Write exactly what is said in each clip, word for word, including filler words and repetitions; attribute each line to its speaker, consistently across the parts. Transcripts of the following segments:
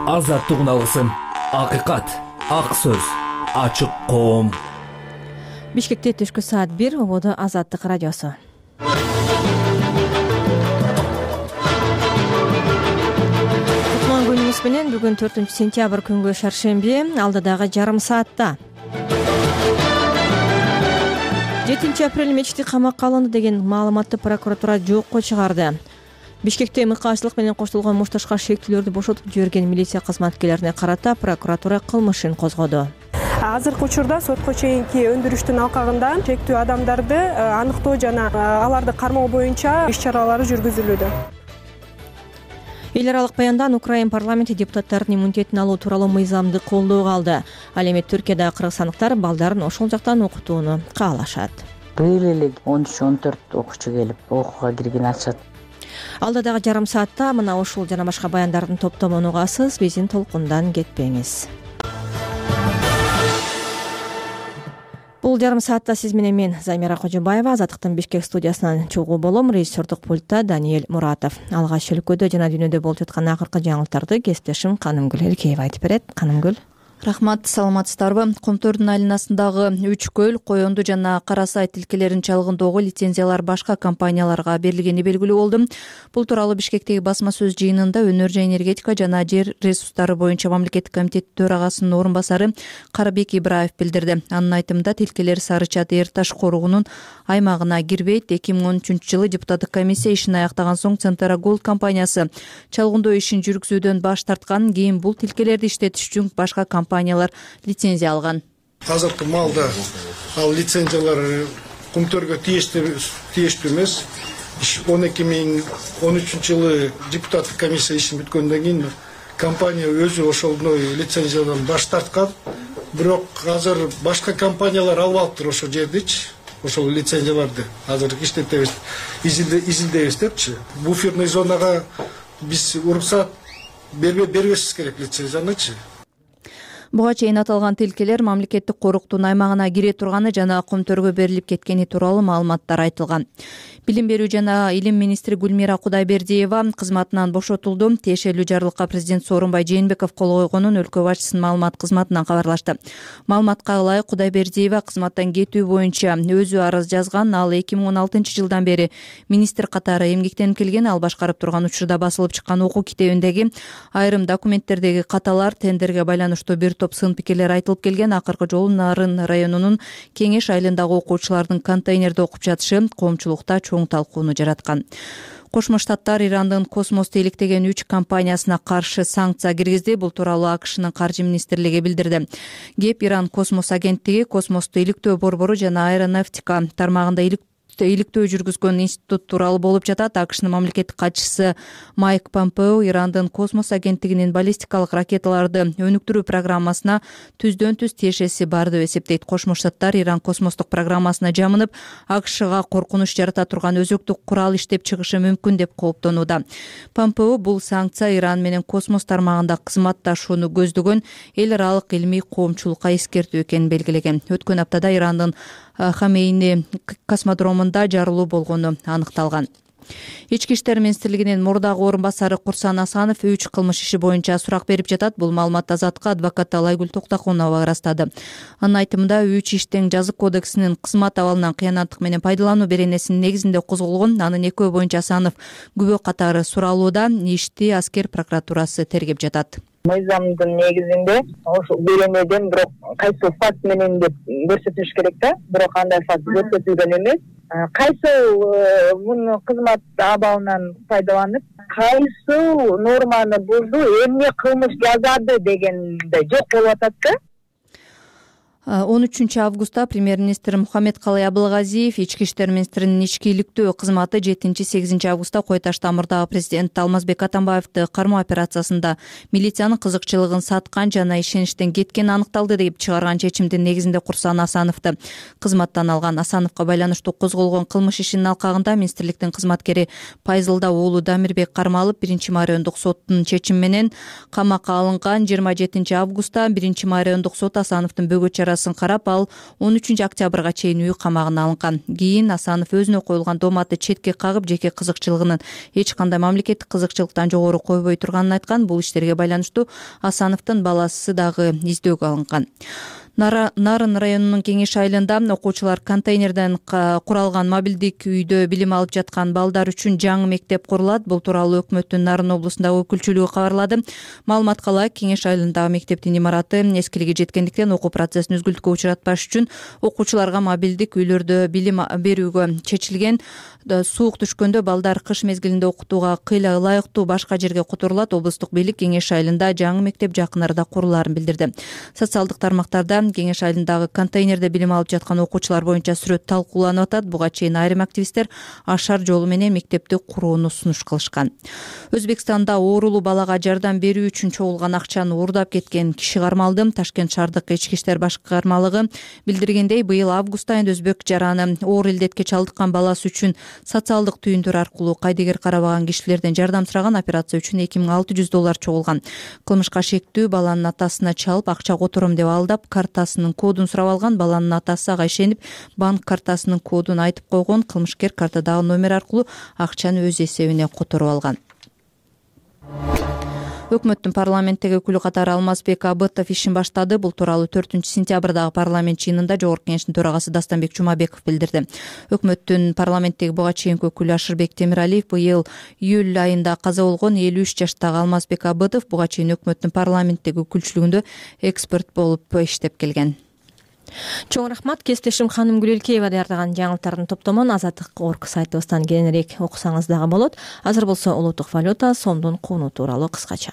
Speaker 1: азаттык алгысын, акыйкат, ак сөз, ачык коом.
Speaker 2: Бишкекте түшкү саат бир, ободо Азаттык радиосу. Кутман күнүңүз менен бүгүн төртүнчү сентябрь күнгө шаршемби, алдыдагы жарым саатта. жетинчи апрель мечити камакка алынды деген маалыматты прокуратура жокко чыгарды. Бишкекте мыкаачылык менен коштолгон мушташка шектүүлөрдү бошотуп жиберген милиция кызматкерлерине карата прокуратура кылмыш ишин козгоду.
Speaker 3: Азыркы учурда сотко чейинки өндүрүштүн алкагында шектүү адамдарды аныктоо жана аларды кармоо боюнча иш чаралары жүргүзүлүүдө.
Speaker 2: Эл аралык баяндан Украин парламенти депутаттардын иммунитетин алуу тууралуу мыйзамды колдоого алды. Ал эми Түркияда кыргызстандыктар балдарын ошол жактан окутууну каалашат.
Speaker 4: Быйыл эле он үч он төрт окуучу келип окууга кирген атышат.
Speaker 2: Алдыдагы жарым саатта мына ушул жана башка баяндардын топтомун угасыз, биздин толкундан кетпеңиз. Бул жарым саатта сиз менен мен Замира Кожобаева, Азаттыктын Бишкек студиясынан чогуу болом. Режиссердук пультта Даниэль Муратов. Алгач өлкөдө жана дүйнөдө болуп жаткан акыркы жаңылыктарды кесиптешим Канымгүл Эркеева айтып берет. Канымгүл.
Speaker 5: Рахмат, саламатсыздарбы? Комтордун айланасындагы үч көл, Коёнду жана Кара Сай тилкелерин чалгындоого лицензиялар башка компанияларга берилгени белгилүү болду. Бул тууралуу Бишкектеги басма сөз жыйынында Өнөр жана энергетика жана жер ресурстары боюнча мамлекеттик комитет төрагасынын орун басары Карабек Ибраев билдирди. Анын айтымында тилкелер Сары Чат Эр Таш коругунун аймагына кирбейт. эки миң он үчүнчү жылы депутаттык комиссия ишин аяктаган соң Центра Голд компаниясы чалгындоо ишин жүргүзүүдөн баш тарткан. Кийин бул тилкелерди иштетиш үчүн башка компаниялар лицензия алган.
Speaker 6: Азыркы маалда ал лицензиялар Кумтөргө тийиштүү эмес. он эки миң он үчүнчү жылы депутаттык комиссия ишин бүткөндөн кийин компания өзү ошондой лицензиядан баш тарткан. Бирок азыр башка компаниялар алып алыптыр ошол жердичи. Ошол лицензияларды азыр иштетебиз, изилдейбиз депчи. Буферный зонага биз уруксат бербешибиз керек лицензиянычы.
Speaker 5: Буга чейин аталган тилкелер мамлекеттик коруктун аймагына кире турганы жана Кумтөргө берилип кеткени тууралуу маалыматтар айтылган. Билим берүү жана илим министри Гүлмира Кудайбердиева кызматынан бошотулду. Тиешелүү жарлыкка президент Сооронбай Жээнбеков кол койгонун өлкө башчысынын маалымат кызматынан кабарлашты. Маалыматка ылайык Кудайбердиева кызматтан кетүү боюнча өзү арыз жазган. Ал эки миң он алтынчы жылдан бери министр катары эмгектенип келген. Ал башкарып турган учурда басылып чыккан окуу китебиндеги айрым документтердеги каталар, тендерге байланыштуу бир топ сын пикирлер айтылып келген. Акыркы жолу Нарын районунун Кеңеш айылындагы окуучулардын контейнерде окуп жатышы коомчулукта чоң талкууну жараткан. Кошмо Штаттар Ирандын Космосту иликтеген үч компаниясына каршы санкция киргизди. Бул тууралуу АКШнын каржы министрлиги билдирди. Кеп Иран космос агенттиги, космосту иликтөө борбору жана аэронавтика тармагында иликтөө иликтөө жүргүзгөн институт тууралуу болуп жатат. АКШнын мамлекеттик катчысы Майк Помпео Ирандын космос агенттигинин баллистикалык ракеталарды өнүктүрүү программасына түздөн түз тиешеси бар деп эсептейт. Кошмо Штаттар Иран космостук программасына жамынып, АКШга коркунуч жарата турган өзөктүк курал иштеп чыгышы мүмкүн деп кооптонууда. Помпео бул санкция Иран менен космос тармагында кызматташууну көздөгөн эл аралык илмий коомчулукка эскертүү экенин белгилеген. Өткөн аптада Ирандын Хамейни космодромунда жарылуу болгону аныкталган. Ички иштер министрлигинин мурдагы орун басары Курсан Асанов үч кылмыш иши боюнча сурак берип жатат. Бул маалыматты Азаттыкка адвокат Алайгүл Токтокунова ырастады. Анын айтымында үч иштин жазык кодексинин кызмат абалынан кыянаттык менен пайдалануу беренесинин негизинде козголгон. Анын экөө боюнча Асанов күбө катары суралууда. Ишти аскер прокуратурасы тергеп жатат.
Speaker 7: Мыйзамдын негизинде ошол беренеден бирок кайсы факт менен деп көрсөтүш керек да, бирок андай факт көрсөтүлгөн эмес. Кайсы муну кызмат абалынан пайдаланып, кайсы норманы бузду, эмне кылмыш жазады дегенде жок болуп атат да.
Speaker 5: он үчүнчү августта премьер-министр Мухаммед Калай Абылгазиев ички иштер министринин ички иликтөө кызматы жетинчи сегизинчи августта Кой Таш тамырдагы президент Алмазбек Атамбаевди кармоо операциясында милициянын кызыкчылыгын саткан жана ишеничтен кеткени аныкталды деп чыгарган чечимдин негизинде Курсан Асановду кызматтан алган. Асановго байланыштуу козголгон кылмыш ишинин алкагында министрликтин кызматкери Пайзылда уулу Дамирбек кармалып, биринчи мариондук соттун чечими менен камакка алынган. жыйырма жетинчи августта биринчи мариондук сот Асановдун бөгөт камерасын карап, ал он үчүнчү октябрга чейин үй камагына алынган. Кийин Асанов өзүнө коюлган дооматты четке кагып, жеке кызыкчылыгынын эч кандай мамлекеттик кызыкчылыктан жогору койбой турганын айткан. Бул иштерге байланыштуу Асановдун баласы дагы издөөгө алынган. Нарын районунун Кеңеш айылында окуучулар контейнерден куралган мобилдик үйдө билим алып жаткан балдар үчүн жаңы мектеп курулат. Бул тууралуу өкмөттүн Нарын облусундагы өкүлчүлүгү кабарлады. Маалыматка ылайык, Кеңеш айылындагы мектептин имараты эскилиги жеткендиктен окуу процессин үзгүлтүккө учуратпаш үчүн окуучуларга мобилдик үйлөрдө билим берүүгө чечилген. Суук түшкөндө балдар кыш мезгилинде окутууга кыйла ылайыктуу башка жерге которулат. Облустук бийлик Кеңеш айылында жаңы мектеп жакын арада курулаарын билдирди. Социалдык тармактарда Кеңеш айылындагы контейнерде билим алып жаткан окуучулар боюнча сүрөт талкууланып атат. Буга чейин айрым активисттер ашар жолу менен мектепти курууну сунуш кылышкан. Өзбекстанда оорулуу балага жардам берүү үчүн чогулган акчаны уурдап кеткен киши кармалды. Ташкент шаардык ички иштер башкармалыгы билдиргендей, быйыл август айында өзбек жараны оор илдетке чалдыккан баласы үчүн социалдык түйүндөр аркылуу кайдыгер карабаган кишилерден жардам сураган. Операция үчүн эки миң алты жүз доллар чогулган. Кылмышка шектүү баланын атасына чалып, акча котором деп алдап, картасынын кодун сурап алган. Баланын атасы ага ишенип, банк картасынын кодун айтып койгон. Кылмышкер картадагы номер аркылуу акчаны өз эсебине которуп алган. Өкмөттүн парламенттеги өкүлү катары Алмазбек Абытов ишин баштады. Бул тууралуу төртүнчү сентябрдагы парламент жыйынында Жогорку Кеңештин төрагасы Дастанбек Жумабеков билдирди. Өкмөттүн парламенттеги буга чейинки өкүлү Ашырбек Темиралиев быйыл июль айында каза болгон элүү үч жаштагы Алмазбек Абытов буга чейин өкмөттүн парламенттеги өкүлчүлүгүндө эксперт болуп иштеп келген.
Speaker 2: Чоң рахмат. Кесиптешим Ханым Гүлелкеева даярдаган жаңылыктардын топтомун Азаттык орг сайтыбыздан кененирээк окусаңыз дагы болот. Азыр болсо улуттук валюта сомдун кууну тууралуу кыскача.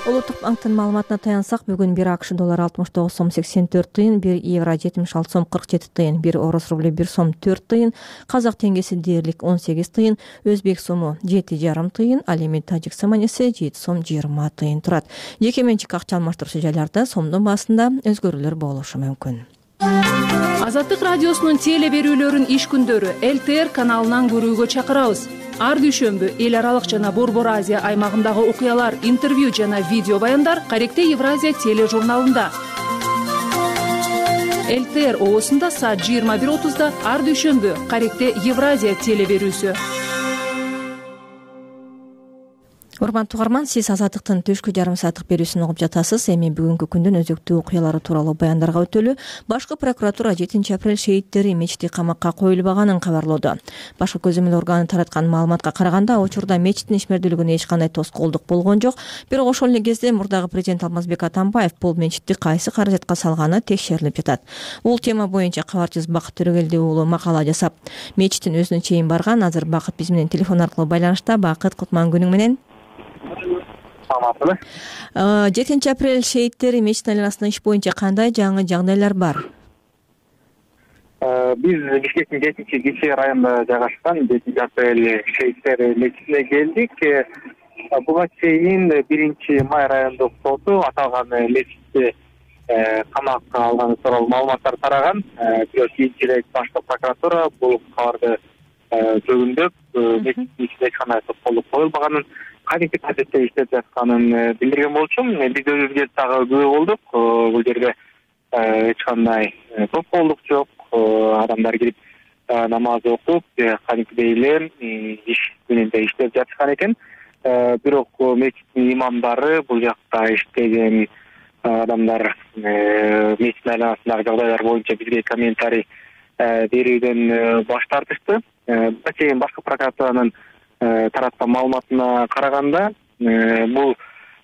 Speaker 2: Улуттук банктын маалыматына таянсак, бүгүн бир АКШ доллары алтымыш тогуз сом сексен төрт тыйын, бир евро жетимиш алты сом кырк жети тыйын, бир орус рублю бир сом төрт тыйын, казак теңгеси дээрлик он сегиз тыйын, өзбек сому жети жарым тыйын, ал эми тажик саманеси жети сом жыйырма тыйын турат. Жеке менчик акча алмаштыруучу жайларда сомдун баасында өзгөрүүлөр болушу мүмкүн.
Speaker 8: Азаттык радиосунун теле берүүлөрүн иш күндөрү эл тэ эр каналынан көрүүгө чакырабыз. Ар дүйшөмбү эл аралык жана Борбор Азия аймагындагы окуялар, интервью жана видео баяндар Каректе Евразия тележурналында. эл тэ эр оосунда саат жыйырма бир отузда ар дүйшөмбү Каректе Евразия теле берүүсү.
Speaker 2: Урматтуу угарман, сиз Азаттыктын түшкү жарым сааттык берүүсүн угуп жатасыз. Эми бүгүнкү күндүн өзөктүү окуялары тууралуу баяндарга өтөлү. Башкы прокуратура жетинчи апрель шейиттери мечити камакка коюлбаганын кабарлоодо. Башкы көзөмөл органы тараткан маалыматка караганда, учурда мечиттин ишмердүүлүгүнө эч кандай тоскоолдук болгон жок. Бирок ошол эле кезде мурдагы президент Алмазбек Атамбаев бул мечитти кайсы каражатка салганы текшерилип жатат. Бул тема боюнча кабарчыбыз Бакыт Төрөгелди уулу макала жасап, мечиттин өзүнө чейин барган. Азыр Бакыт биз менен телефон аркылуу байланышта. Бакыт, кутман күнүң менен.
Speaker 9: Саламатсызбы?
Speaker 2: жетинчи апрель шейиттери мечиттин айланасында иш боюнча кандай жаңы жагдайлар бар?
Speaker 9: Биз Бишкектин жетинчи Кичи районунда жайгашкан жетинчи апрель шейиттери мечитине келдик. Буга чейин биринчи май райондук соту аталган мечитти камакка алганы тууралуу маалыматтар тараган. Бирок кийинчи эле башкы прокуратура бул кабарды жөгүндөп, мечиттин ичине эч кандай тоскоолдук коюлбаганын, кадимки тартипте иштеп жатканын билдирген болчу. Биз өзүбүз дагы күбө болдук. Бул жерде эч кандай тоскоолдук жок. Адамдар кирип намаз окуп, кадимкидей эле иш мененде иштеп жатышкан экен. Бирок мечиттин имамдары, бул жакта иштеген адамдар мечиттин айланасындагы жагдайлар боюнча бизге комментарий берүүдөн баш тартышты. Буга чейин башкы прокуратуранын тараткан маалыматына караганда, бул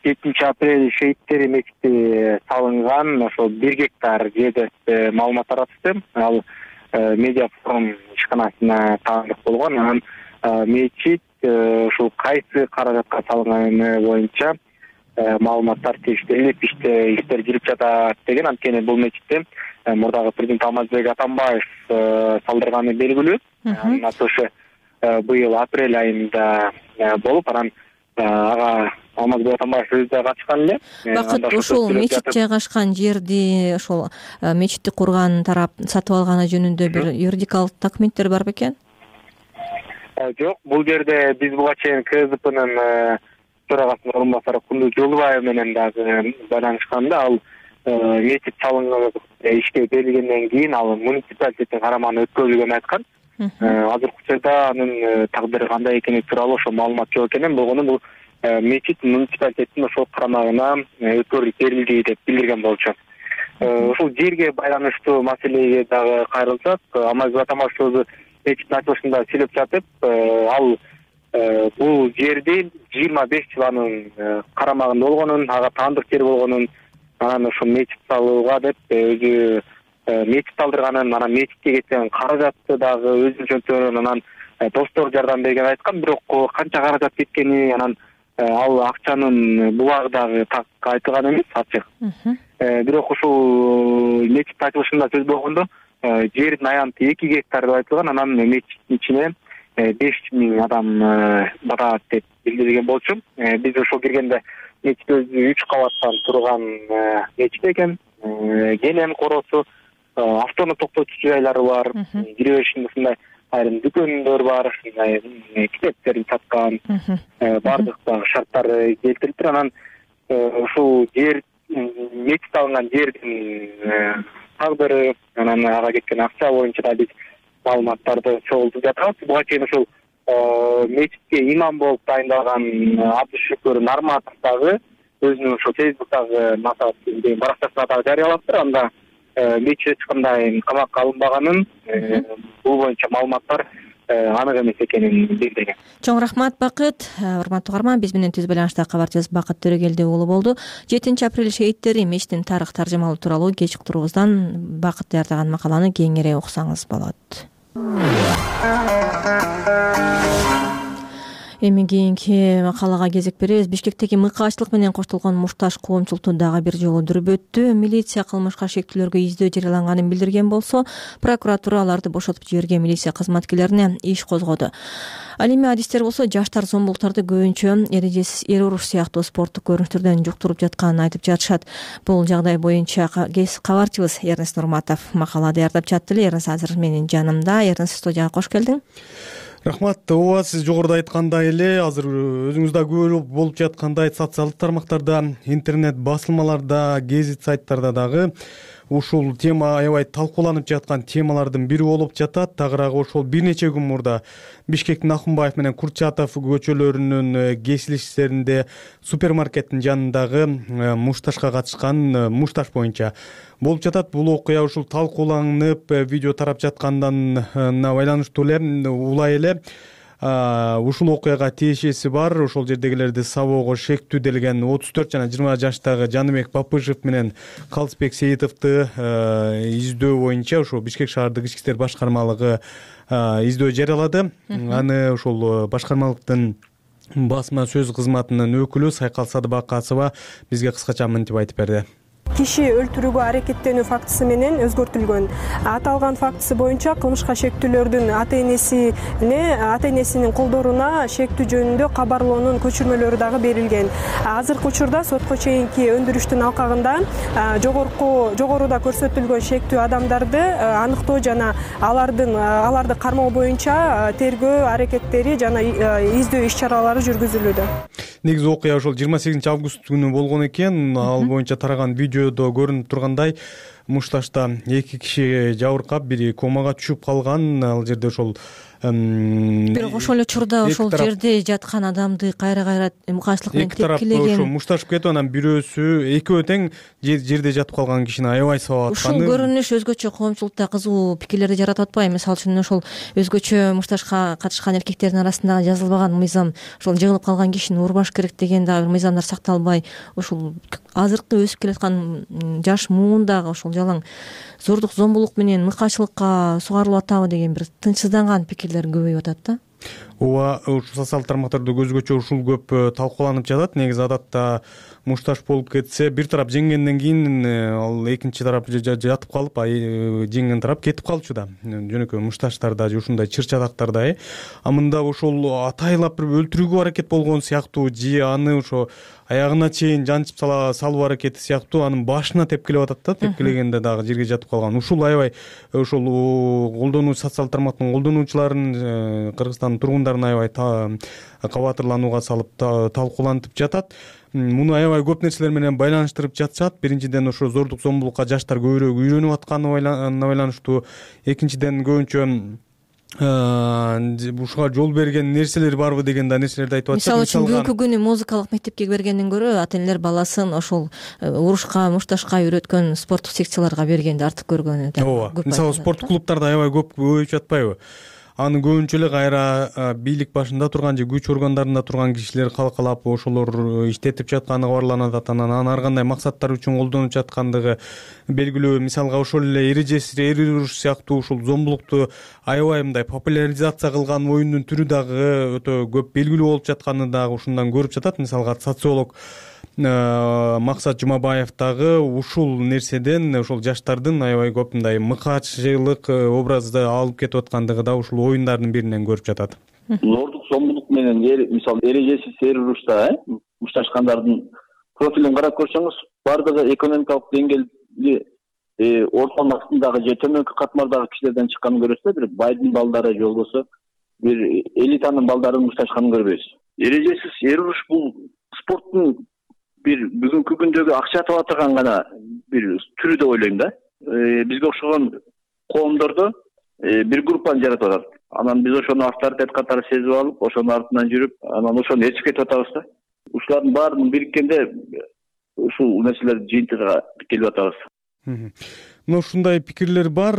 Speaker 9: жетинчи апрель шейиттери мечити салынган ошол бир гектар жерде маалымат таратышты. Ал медиа форум ишканасына таандык болгон. Анан мечит ушул кайсы каражатка салынганы боюнча маалыматтар текшерилип, иштер жүрүп жатат деген. Анткени бул мечитти мурдагы президент Алмазбек Атамбаев салдырганы белгилүү. Анын ачылышы быйыл апрель айында болуп, анан ага Алмазбек Атамбаев өзү да катышкан эле.
Speaker 2: Бакыт, ушул мечит жайгашкан жерди, ошол мечитти курган тарап сатып алганы жөнүндө бир юридикалык документтер бар бекен?
Speaker 9: Жок, бул жерде биз буга чейин КСДПнын төрагасынын орун басары Кундуз Жолубаева менен дагы байланышканда, ал мечит салынып ишке берилгенден кийин ал муниципалитеттин карамагына өткөрүлгөнүн айткан. Азыркы учурда анын тагдыры кандай экени тууралуу ошо маалымат жок экен. Болгону бул мечит муниципалитеттин ошол карамагына өткөрүлүп берилди деп билдирген болчу. Ушул жерге байланыштуу маселеге дагы кайрылсак, Амазбек Атамбашев мечиттин ачылышында сүйлөп жатып, ал бул жерди жыйырма беш жыл анын карамагында болгонун, ага таандык жер болгонун, анан ошо мечит салууга деп өзү мечит салдырганын, анан мечитке кеткен каражатты дагы өзүнүн жөнтөрүнөн анан достор жардам бергенин айткан. Бирок канча каражат кеткени, анан ал акчанын булагы дагы так айтылган эмес, ачык. Бирок ушул мечит ачылышында сөз болгондо жердин аянты эки гектар деп айтылган, анан мечиттин ичине беш миң адам барат деп билдирген болчу. Биз ошол киргенде мечит өзү үч кабаттан турган мечит экен. Генем коросу, автону токтотуучу жайлары бар, кире беришинде ушундай айрым дүкөндөр бар, китептерин саткан, баардык дагы шарттары келтириптир. Анан ушул жер, мечит алынган жердин тагдыры, анан ага кеткен акча боюнча да биз маалыматтарды чогултуп жатабыз. Буга чейин ушул мечитке имам болуп дайындалган Абдышүкүр Нарматов дагы өзүнүн ошо Фейсбуктагы баракчасына дагы жарыялаптыр. Анда мечит эч кандай камакка алынбаганын, бул боюнча маалыматтар анык эмес экенин билдирген.
Speaker 2: Чоң рахмат, Бакыт. Урматтуу угарман, биз менен түз байланышта кабарчыбыз Бакыт Төрөгелди уулу болду. жетинчи апрель шейиттери мечиттин тарых таржымалуу тууралуу кеч уктуруубуздан Бакыт даярдаган макаланы кеңири уксаңыз болот. Эми кийинки макалага кезек беребиз. Бишкектеги мыкаачтылык менен коштолгон мушташ коомчулукту дагы бир жолу дүрбөттү. Милиция кылмышка шектүүлөргө издөө жарыяланганын билдирген болсо, прокуратура аларды бошотуп жиберген милиция кызматкерлерине иш козгоду. Ал эми адистер болсо жаштар зомбулуктарды көбүнчө эрежесиз эр уруш сыяктуу спорттук көрүнүштөрдөн жуктуруп жатканын айтып жатышат. Бул жагдай боюнча кабарчыбыз Эрнест Нурматов макала даярдап жатты эле. Эрнест азыр менин жанымда. Эрнест, студияга кош келдиң.
Speaker 10: Рахмат. Ооба, сиз жогоруда айткандай эле, азыр өзүңүз да көрүп болуп жаткандай социалдык тармактарда, интернет басылмаларда, гезит сайттарда дагы ушул тема аябай талкууланып жаткан темалардын бири болуп жатат. Тагыраагы ошол бир нече күн мурда Бишкектин Акунбаев менен Курчатов көчөлөрүнүн кесилиштеринде супермаркеттин жанындагы мушташка катышкан мушташ боюнча болуп жатат. Бул окуя ушул талкууланып, видео тарап жаткандан байланыштуу эле улай эле ушул окуяга тиешеси бар. Ошол жердегилерди сабоого шектүү делген отуз төрт жана жыйырма жаштагы Жаныбек Бапыжов менен Калысбек Сейитовду издөө боюнча ошол Бишкек шаардык ички иштер башкармалыгы издөө жарыялады. Аны ошол башкармалыктын басма сөз кызматынын өкүлү Сайкал Садыбакасова бизге кыскача мынтип айтып берди.
Speaker 3: Киши өлтүрүүгө аракеттенүү фактысы менен өзгөртүлгөн. Аталган фактысы боюнча кылмышка шектүүлөрдүн ата-энесине, ата-энесинин колдоруна шектүү жөнүндө кабарлоонун көчүрмөлөрү дагы берилген. Азыркы учурда сотко чейинки өндүрүштүн алкагында жогорку жогоруда көрсөтүлгөн шектүү адамдарды аныктоо жана алардын аларды кармоо боюнча тергөө аракеттери жана издөө иш чаралары жүргүзүлүүдө.
Speaker 10: Негизи окуя ошол жыйырма сегизинчи август күнү болгон экен. Ал боюнча тараган видеодо көрүнүп тургандай, мушташта эки киши жабыркап, бири комага түшүп калган. Ал жерде ошол
Speaker 2: бирок ошол эле учурда ошол жерде жаткан адамды кайра-кайра мукаачтылык менен тепкилеген.
Speaker 10: Ошо мушташып кетип, анан бирөөсү экөө тең жерде жатып калган кишини аябай сабап атканы.
Speaker 2: Ушул көрүнүш өзгөчө коомчулукта кызуу пикирлерди жаратып атпайбы? Мисалы үчүн ошол өзгөчө мушташка катышкан эркектердин арасында жазылбаган мыйзам, ошол жыгылып калган кишини урбаш керек деген дагы бир мыйзамдар сакталбай, ошол азыркы өсүп келаткан жаш муундагы ошол жалаң зордук, зомбулук менен мыкаачылыкка сугарылып атабы деген бир тынчсызданган пикирлер көбөйүп атат да.
Speaker 10: Ооба, ушул социалдык тармактарда өзгөчө ушул көп талкууланып жатат. Негизи адатта мушташ болуп кетсе, бир тарап жеңгенден кийин ал экинчи тарап жатып калып, жеңген тарап кетип калчу да. Жөнөкөй мушташтарда ушундай чыр-чадактарда. А мында ошол атайлап бир өлтүрүүгө аракет болгон сыяктуу, же аны ошо аягына чейин жанчып салуу аракети сыяктуу, анын башына тепкилеп атат да. Тепкилегенде дагы жерге жатып калган. Ушул аябай ошол колдонуу социалдык тармактын колдонуучуларын, Кыргызстандын тургундарын жагдайларын аябай кабатырланууга салып талкуулантып жатат. Муну аябай көп нерселер менен байланыштырып жатышат. Биринчиден ошо зордук зомбулукка жаштар көбүрөөк үйрөнүп атканы байланыштуу. Экинчиден көбүнчө ушуга жол берген нерселер барбы деген да нерселерди айтып атышат.
Speaker 2: Мисалы үчүн бүгүнкү күнү музыкалык мектепке бергенден көрө ата энелер баласын ошол урушка, мушташка үйрөткөн спорттук секцияларга бергенди артык көргөнү да.
Speaker 10: Ооба. Мисалы спорттук клубтарда аябай көп көбөйүп жатпайбы? Аны көбүнчө эле кайра бийлик башында турган же күч органдарында турган кишилер калкалап ошолор иштетип жатканы кабарланат. Анан ар кандай максаттар үчүн колдонуп жаткандыгы белгилүү. Мисалга ошол эле эрежеси эри уруш сыяктуу ушул зомбулукту аябай мындай популяризация кылган оюндун түрү дагы өтө көп белгилүү болуп жатканы дагы ушундан көрүп жатат. Мисалга социолог Максат Жумабаев дагы ушул нерседен ошол жаштардын аябай көп мындай мыкаачылык образды алып кетип аткандыгы да ушул оюндардын биринен көрүп жатат.
Speaker 11: Зордук зомбулук менен мисалы эрежесиз эр урушта мушташкандардын профилин карап көрсөңүз, бардыгы экономикалык деңгээлди ортонун астындагы же төмөнкү катмардагы кишилерден чыкканын көрөсүз, бир байдын балдары же болбосо бир элитанын балдарынын мушташканын көрбөйсүз. Эрежесиз эр уруш бул спорттун бир бүгүнкү күндөгү акча таба турган гана бир түрү деп ойлойм да. Бизге окшогон коомдордо бир группаны жаратып атат. Анан биз ошону авторитет катары сезип алып, ошонун артынан жүрүп, анан ошону ээрчип кетип атабыз да. Ушулардын баарын бириккенде ушул нерселер жыйынтыгына келип атабыз.
Speaker 10: Мына ушундай пикирлер бар.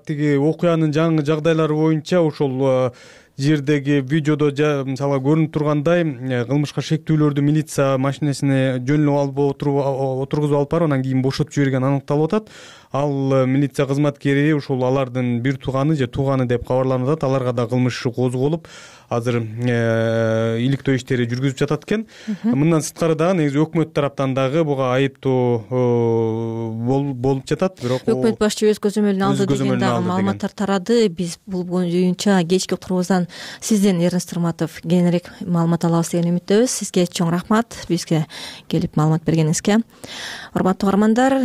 Speaker 10: Тиги окуянын жаңы жагдайлары боюнча ошол жердеги видеодо мисалы көрүнүп тургандай кылмышка шектүүлөрдү милиция машинесине жөнүп алып отургузуп алып барып анан кийин бошотуп жибергени аныкталып атат. Ал милиция кызматкери ушул алардын бир тууганы же тууганы деп кабарланып атат. Аларга да кылмыш иши козголуп, азыр иликтөө иштери жүргүзүп жатат экен. Мындан сырткары дагы негизи өкмөт тараптан дагы буга айыптоо болуп жатат. Бирок
Speaker 2: өкмөт башчы өз көзөмөлүнө алды деген дагы маалыматтар тарады. Биз бул боюнча кечки уктуруубуздан сизден Эрнест Турматов кийинирээк маалымат алабыз деген үмүттөбүз. Сизге чоң рахмат бизге келип маалымат бергениңизге. Урматтуу угармандар,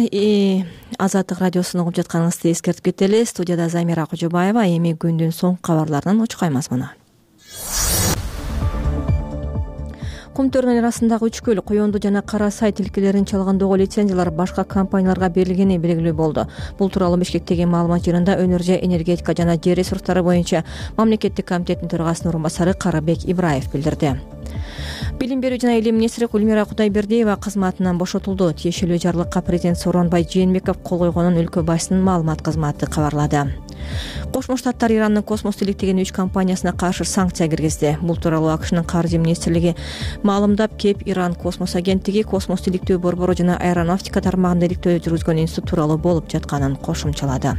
Speaker 2: Азаттык радиосун угуп жатканыңызды эскертип кетели. Студияда Замира Кожобаева. Эми күндүн соңку кабарларынан учкаймыз муну. Кум төрүнүн арасындагы үч көл, Коёнду жана Кара Сай тилкелерин чалгандоого лицензиялар башка компанияларга берилгени белгилүү болду. Бул тууралуу Бишкектеги маалымат жыйынында Өнөр энергетика жана жер ресурстары боюнча мамлекеттик комитеттин төрагасынын орун басары Карабек Ибраев билдирди. Билим берүү жана илим министри Гүлмира Кудайбердиева кызматынан бошотулду. Тиешелүү жарлыкка президент Сооронбай Жээнбеков кол койгонун өлкө башчысынын маалымат кызматы кабарлады. Кошмо Штаттар Ирандын космос иликтеген үч компаниясына каршы санкция киргизди. Бул тууралуу АКШнын каржы министрлиги маалымдап, кеп Иран космос агенттиги космос иликтөө борбору жана аэронавтика тармагында иликтөө жүргүзгөн институт тууралуу болуп жатканын кошумчалады.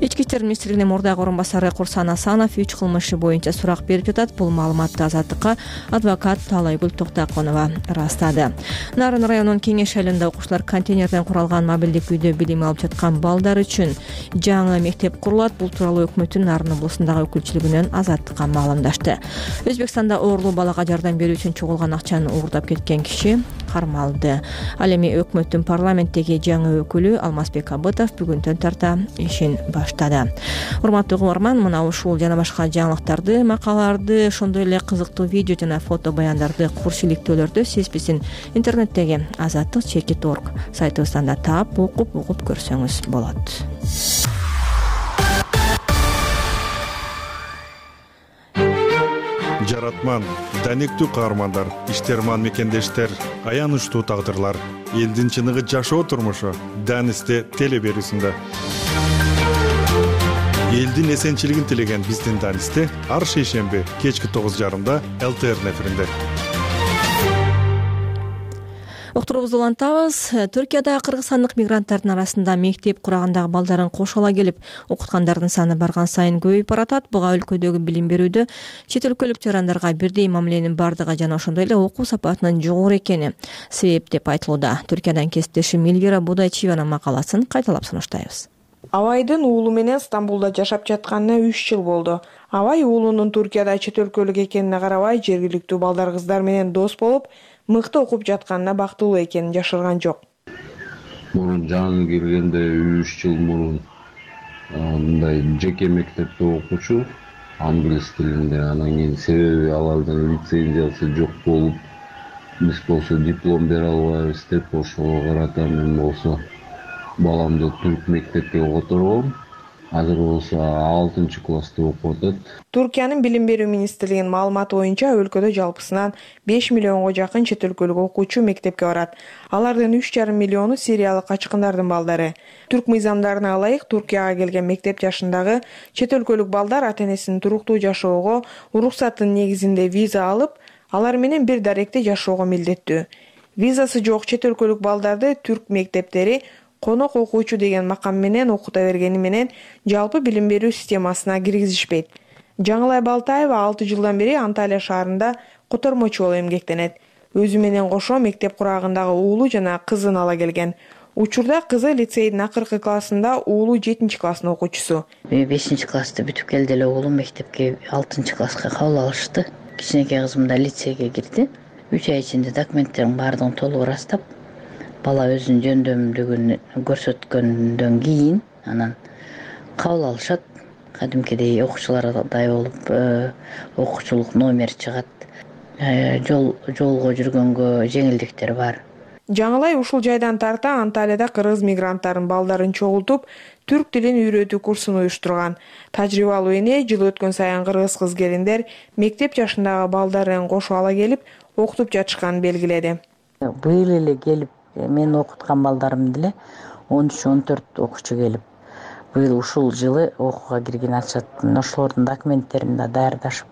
Speaker 2: Ички иштер министрлигинин мурдагы орун басары Курсан Асанов үч кылмыш иши боюнча сурак берип жатат. Бул маалыматты Азаттыкка адвокат Талайгүл Токтоконова ырастады. Нарын районунун Кеңеш шайларында окуучулар контейнерден куралган мобилдик үйдө билим алып жаткан балдар үчүн жаңы мектеп курулат. Бул тууралуу өкмөттүн Нарын облусундагы өкүлчүлүгүнөн Азаттыкка маалымдашты. Өзбекстанда ooрлуу балага жардам берүү үчүн чогулган акчаны уурдап кеткен киши кармалды. Ал эми өкмөттүн парламенттеги жаңы өкүлү Алмазбек Абытов бүгүндөн тарта ишин баштады. Урматтуу угарман, мына ушул жана башка жаңылыктарды, макалаларды, ошондой эле кызыктуу видео жана фото баяндарды, курс иликтөөлөрдү сиз биздин интернеттеги азаттык чекит точка орг сайтыбыздан да таап, окуп, угуп көрсөңүз болот.
Speaker 12: Жаратман, данектүү каармандар, иштерман мекендештер, аянычтуу тагдырлар, элдин чыныгы жашоо турмушу Данисте теле берүүсүндө. Элдин эсенчилигин тилеген биздин Данисте ар шейшемби кечки тогуз жарымда эл тэ эр эфиринде.
Speaker 2: Уктуруубузду улантабыз. Түркияда кыргызстандык мигранттардын арасында мектеп курагандагы балдарын кошола келип окуткандардын саны барган сайын көбөйүп баратат. Буга өлкөдөгү билим берүүдө чет өлкөлүк жарандарга бирдей мамиленин бардыгы жана ошондой эле окуу сапатынын жогору экени себеп деп айтылууда. Түркиядан кесиптешим Элвира Будайчиеванын макаласын кайталап сунуштайбыз.
Speaker 13: Абайдын уулу менен Стамбулда жашап жатканына үч жыл болду. Абай уулунун Түркияда чет өлкөлүк экенине карабай, жергиликтүү балдар кыздар менен дос болуп, мыкты окуп жатканына бактылуу экенин жашырган жок.
Speaker 14: Мурун жаңы киргенде үч жыл мурун мындай жеке мектепте окуучу, англис тилинде. Анан кийин себеби алардын лицензиясы жок болуп, биз болсо диплом бере албайбыз деп ошого карата мен болсо баламды түрк мектепке которгом. Азыр болсо алтынчы класста окуп атат.
Speaker 13: Туркиянын билим берүү министрлигинин маалыматы боюнча өлкөдө жалпысынан беш миллионго жакын чет өлкөлүк окуучу мектепке барат. Алардын үч жарым миллиону сириялык качкындардын балдары. Түрк мыйзамдарына ылайык Туркияга келген мектеп жашындагы чет өлкөлүк балдар ата-энесинин туруктуу жашоого уруксаттын негизинде виза алып, алар менен бир даректе жашоого милдеттүү. Визасы жок чет өлкөлүк балдарды түрк мектептери конок окуучу деген макам менен окута бергени менен жалпы билим берүү системасына киргизишпейт. Жаңылай Балтаева алты жылдан бери Анталия шаарында котормочу болуп эмгектенет. Өзү менен кошо мектеп курагындагы уулу жана кызын ала келген. Учурда кызы лицейдин акыркы классында, уулу жетинчи класстын окуучусу.
Speaker 4: бешинчи классты бүтүп келди эле уулум мектепке алтынчы класска кабыл алышты. Кичинекей кызым да лицейге кирди. үч ай ичинде документтерин баардыгын толук ырастап, бала өзүнүн жөндөмдүгүн көрсөткөндөн кийин анан кабыл алышат. Кадимкидей окуучулардай болуп, окуучулук номер чыгат. Жол жолго жүргөнгө жеңилдиктер бар.
Speaker 13: Жаңылай ушул жайдан тарта Анталияда кыргыз мигранттарын балдарын чогултуп, түрк тилин үйрөтүү курсун уюштурган. Тажрыйбалуу эне жыл өткөн сайын кыргыз кыз келиндер мектеп жашындагы балдарын кошо ала келип, окутуп жатышканын белгиледи.
Speaker 4: Быйыл эле келип, мен окуткан балдарым деле он үч он төрт окуучу келип, быйыл ушул жылы окууга кирген атышат. Ошолордун документтерин да даярдашып,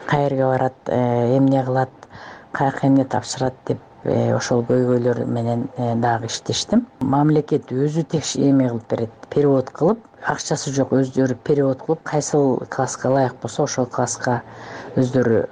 Speaker 4: каерге барат, эмне кылат, каяка эмне тапшырат деп ошол көйгөйлөр менен дагы иштештим. Мамлекет өзү текш эме кылып берет, перевод кылып, акчасы жок өздөрү перевод кылып, кайсыл класска ылайык болсо ошол класска өздөрү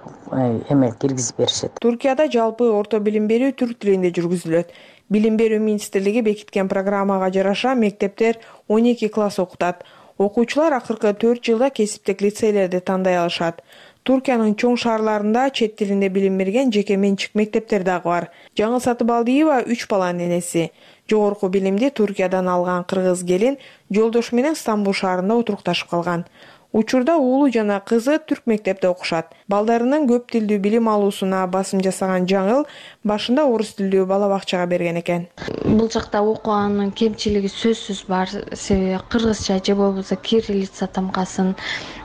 Speaker 4: эме киргизип беришет.
Speaker 13: Туркияда жалпы орто билим берүү түрк тилинде жүргүзүлөт. Билим берүү министрлиги бекиткен программага жараша мектептер он эки класс окутат. Окуучулар акыркы төрт жылда кесиптик лицейлерди тандай алышат. Туркиянын чоң шаарларында чет тилинде билим берген жеке менчик мектептер дагы бар. Жаңыл Сатыбалдиева үч баланын энеси. Жогорку билимди Туркиядан алган кыргыз келин жолдошу менен Стамбул шаарында отурукташып калган. Учурда уулу жана кызы түрк мектепте окушат. Балдарынын көп тилдүү билим алуусуна басым жасаган Жаңыл башында орус тилдүү бала бакчага берген экен.
Speaker 15: Бул жакта окуганын кемчилиги сөзсүз бар. Себеби кыргызча же болбосо кириллица тамгасын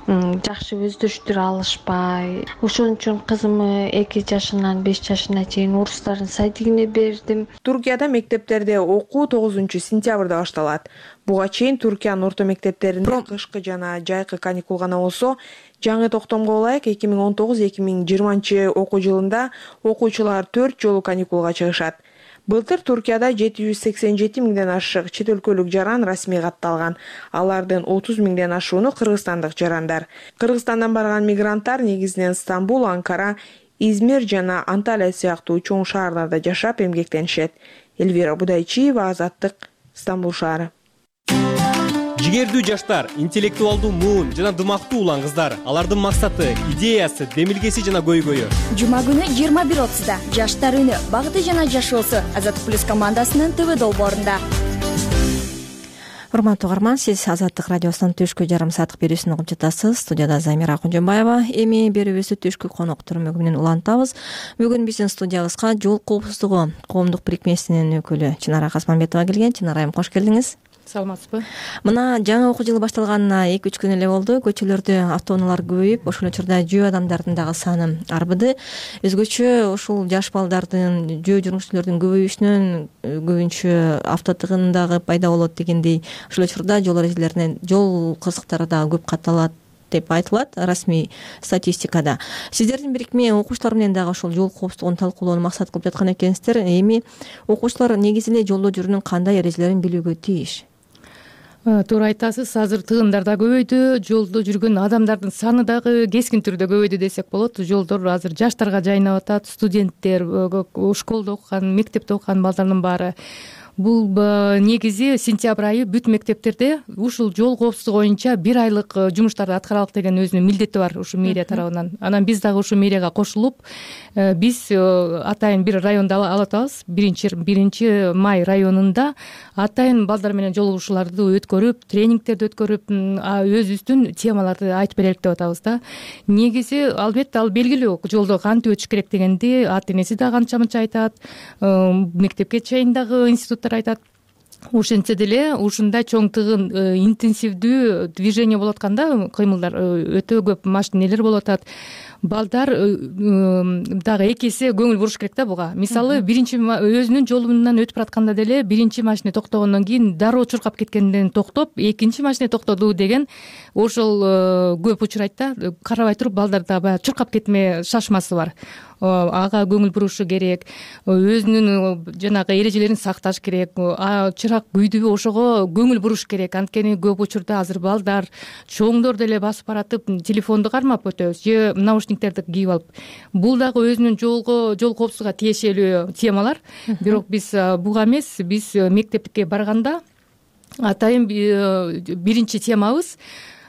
Speaker 15: жакшы өздөрүштүрө алышпай. Ошон үчүн кызымы эки жашынан беш жашына чейин орустардын садигине бердим.
Speaker 13: Туркияда мектептерде окуу тогузунчу сентябрда башталат. Буга чейин Туркиянын орто мектептеринде кышкы жана жайкы каникул гана болсо, жаңы токтомго ылайык эки миң он тогуз эки миң жыйырманчы окуу жылында окуучулар төрт жолу каникулга чыгышат. Былтыр Туркияда жети жүз сексен жети миңден ашык чет өлкөлүк жаран расмий катталган. Алардын отуз миңден ашууну кыргызстандык жарандар. Кыргызстандан барган мигранттар негизинен Стамбул, Анкара, Измир жана Анталия сыяктуу чоң шаарларда жашап эмгектенишет. Эльвира Будайчиева, Азаттык, Стамбул шаары.
Speaker 16: Жигердүү жаштар, интеллектуалдуу муун жана дымактуу улан кыздар. Алардын максаты, идеясы, демилгеси жана көйгөйү.
Speaker 17: Жума күнү жыйырма бир отузда Жаштар үнү, багыты жана жашоосу Азаттык плюс командасынын ТВ долбоорунда.
Speaker 2: Урматтуу угарман, сиз Азаттык радиосунун түшкү жарым сааттык берүүсүн угуп жатасыз. Студияда Замира Кожомбаева. Эми берүүбүздү түшкү коноктор менен улантабыз. Бүгүн биздин студиябызга жол коопсуздугу коомдук бирикмесинин өкүлү Чынара Касманбетова келген. Чынара айым, кош келдиңиз.
Speaker 18: Саламатсызбы?
Speaker 2: Мына жаңы окуу жылы башталганына эки үч күн эле болду. Көчөлөрдө автоунаалар көбөйүп, ошол учурда жөө адамдардын дагы саны арбыды. Өзгөчө ушул жаш балдардын, жөө жүргүнчүлөрдүн көбөйүшүнөн көбүнчө авто тыгын дагы пайда болот дегендей. Ошол учурда жол эрежелеринен жол кырсыктары дагы көп катталат деп айтылат расмий статистикада. Сиздердин бирикме окуучулар менен дагы ошол жол коопсуздугун талкуулоону максат кылып жаткан экенсиздер. Эми окуучулар негизи эле жолдо жүрүүнүн кандай эрежелерин билүүгө тийиш?
Speaker 18: Туура айтасыз. Азыр тыгындар да көбөйдү, жолдо жүргөн адамдардын саны дагы кескин түрдө көбөйдү десек болот. Жолдор азыр жаштарга жайнап атат, студенттер, школдо окуган, мектепте окуган балдардын баары бул негизи сентябрь айы бүт мектептерде ушул жол коопсуздугу боюнча бир айлык жумуштарды аткаралык деген өзүнүн милдети бар ушу мэрия тарабынан. Анан биз дагы ушу мэрияга кошулуп, биз атайын бир районду алып атабыз. биринчи май районунда атайын балдар менен жолугушууларды өткөрүп, тренингтерди өткөрүп, өзүбүздүн темаларды айтып берелик деп атабыз да. Негизи албетте ал белгилүү, жолдо кантип өтүш керек дегенди ата энеси да канча мынча айтат, мектепке чейин дагы институттар айтат. Ошентсе деле ушундай чоң тыгын интенсивдүү движение болуп атканда, кыймылдар өтө көп машинелер болуп атат. Балдар дагы эки эсе көңүл буруш керек да буга. Мисалы, биринчи өзүнүн жолунан өтүп баратканда деле биринчи машина токтогондон кийин дароо чуркап кеткенден токтоп, экинчи машина токтоду деген ошол көп учурайт да. Карабай туруп балдарда баягы чуркап кетме шашмасы бар. Ага көңүл бурушу керек, өзүнүн жанагы эрежелерин сакташ керек, чырак күйдүбү ошого көңүл буруш керек. Анткени көп учурда азыр балдар, чоңдор деле басып баратып, телефонду кармап өтөбүз же наушниктерди кийип алып. Бул дагы өзүнүн жолго жол коопсуздугуна тиешелүү темалар. Бирок биз буга эмес, биз мектепке барганда атайын биринчи темабыз,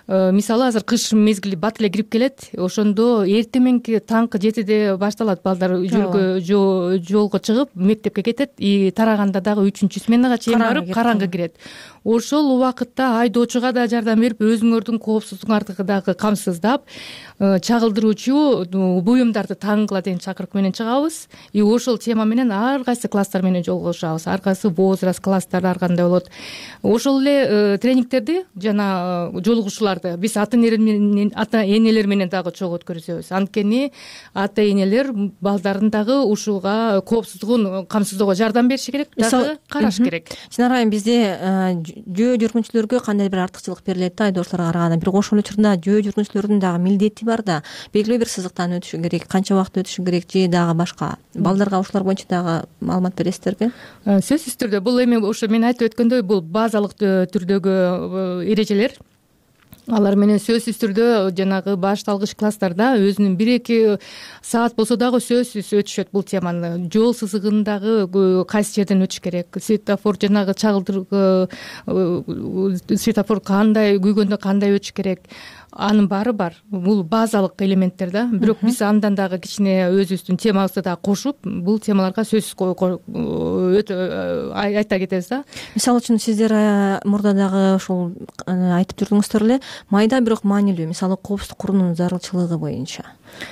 Speaker 18: мисалы, азыр кыш мезгили бат эле кирип келет. Ошондо эртең таңкы жетиде башталат, балдар жүргө жолго чыгып мектепке кетет. И тараганда дагы үчүнчү сменага чейин барып караңгы кирет. Ошол убакытта айдоочуга да жардам берип, өзүңөрдүн коопсуздугуңарды дагы камсыздап, чагылдыруучу буюмдарды таңгыла деген чакырык менен чыгабыз. И ошол тема менен ар кайсы класстар менен жолугушабыз. Ар кайсы возраст класстары ар кандай болот. Ошол эле тренингтерди жана жолугушууларды биз ата энелер менен ата энелер менен дагы чогуу өткөрүзөбүз. Анткени ата энелер балдарын дагы ушуга коопсуздугун камсыздоого жардам бериши керек, дагы караш керек.
Speaker 2: Чынар айым, бизде жөө жүргүнчүлөргө кандай бир артыкчылык берилет да айдоочуларга караганда. Бирок ошол учурда жөө жүргүнчүлөрдүн дагы милдети бар да. Белгилүү бир сызыктан өтүшү керек, канча убакыт өтүшү керек же дагы башка. Балдарга ушулар боюнча дагы маалымат бересиздерби?
Speaker 18: Сөзсүз түрдө бул эми ошо мен айтып өткөндөй, бул базалык түрдөгү эрежелер. Алар менен сөзсүз түрдө жанагы башталгыч класстарда өзүнүн бир эки саат болсо дагы сөзсүз өтүшөт бул теманы. Жол сызыгындагы кайсы жерден өтүш керек, светофор жанагы чагылдыр светофор кандай күйгөндө кандай өтүш керек, анын баары бар. Бул базалык элементтер да. Бирок биз андан дагы кичине өзүбүздүн темабызды дагы кошуп, бул темаларга сөзсүз өтө айта кетебиз да.
Speaker 2: Мисалы үчүн сиздер мурда дагы ушул айтып жүрдүңүздөр эле, майда бирок маанилүү, мисалы коопсуздук куруунун зарылчылыгы боюнча.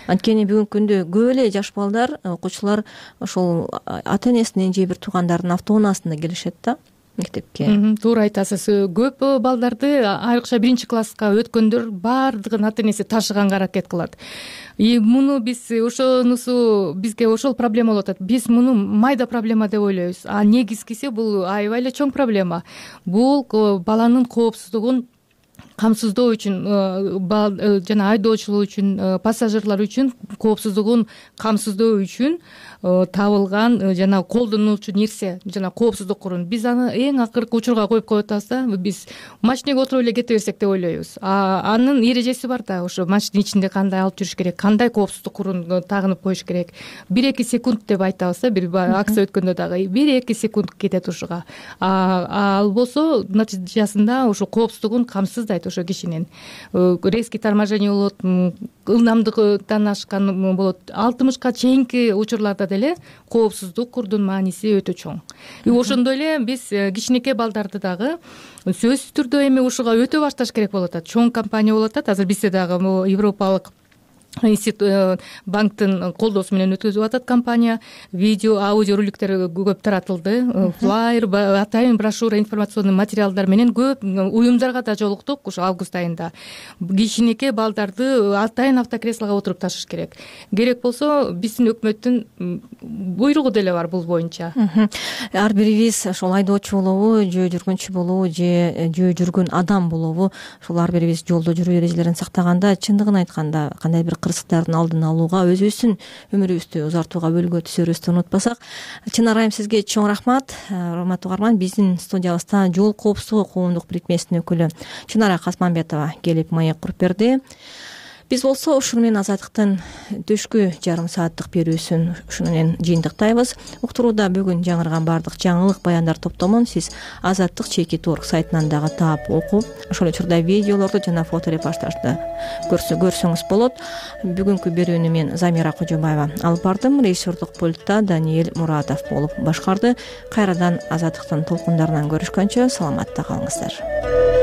Speaker 2: Анткени бүгүнкү күндө көп эле жаш балдар, окуучулар ошол ата энесинин же бир туугандардын автоунаасында келишет да мектепке.
Speaker 18: Туура айтасыз. Көп балдарды айрыкча биринчи класска өткөндөр баардыгын ата энеси ташыганга аракет кылат. И муну биз ошонусу бизге ошол проблема болуп атат. Биз муну майда проблема деп ойлойбуз. А негизгиси бул аябай эле чоң проблема. Бул баланын коопсуздугун камсыздоо үчүн, жана айдоочулар үчүн, пассажирлар үчүн коопсуздугун камсыздоо үчүн табылган жана колдонулчу нерсе, жана коопсуздук курун. Биз аны эң акыркы учурга коюп коюп атабыз да. Биз машинеге отуруп эле кете берсек деп ойлойбуз. А анын эрежеси бар да. Ошо машинанын ичинде кандай алып жүрүш керек, кандай коопсуздук курун тагынып коюш керек. бир эки секунд деп айтабыз да. Бир акция өткөндө дагы бир эки секунд кетет ушуга. А ал болсо натыйжасында ошо коопсуздугун камсыздайт ошо кишинин. Резкий торможение болот, ылдамдыктан ашкан болот. алтымышка чейинки учурларда деле коопсуздук курдун мааниси өтө чоң. И ошондой эле биз кичинекей балдарды дагы сөзсүз түрдө эми ушуга өтө башташ керек болуп атат. Чоң компания болуп атат. Азыр бизде дагы европалык институт банктын колдоосу менен өткөзүп атат компания. Видео, аудио роликтер көп таратылды. Флайер, атайын брошюра, информационный материалдар менен көп уюмдарга да жолуктук ушу август айында. Кичинекей балдарды атайын автокреслого отуруп ташыш керек. Керек болсо биздин өкмөттүн буйругу деле бар бул боюнча.
Speaker 2: Ар бирибиз ошол айдоочу болобу, жөө жүргүнчү болобу, же жөө жүргөн адам болобу, ошол ар бирибиз жолдо жүрүү эрежелерин сактаганда, чындыгын айтканда кандай бир кырсыктардын алдын алууга, өзүбүздүн өмүрүбүздү узартууга бөлгө түсөрүбүздү унутпасак. Чынар айым, сизге чоң рахмат. Урматтуу угарман, биздин студиябызда жол коопсуздугу коомдук бирикмесинин өкүлү Чынара Касманбетова келип маек куруп берди. биз болсо ушуну менен азаттыктын түшкү жарым сааттык берүүсүн ушуну менен жыйынтыктайбыз. Уктурууда бүгүн жаңырган баардык жаңылык баяндар топтомун сиз азаттык чекит точка орг сайтынан дагы таап окуп, ошол учурда видеолорду жана фото репортажды көрсөңүз болот. Бүгүнкү берүүнү мен Замира Кожобаева алып бардым. Режиссердук пультта Даниэль Муратов болуп башкарды. Кайрадан азаттыктын толкундарынан көрүшкөнчө саламатта калыңыздар.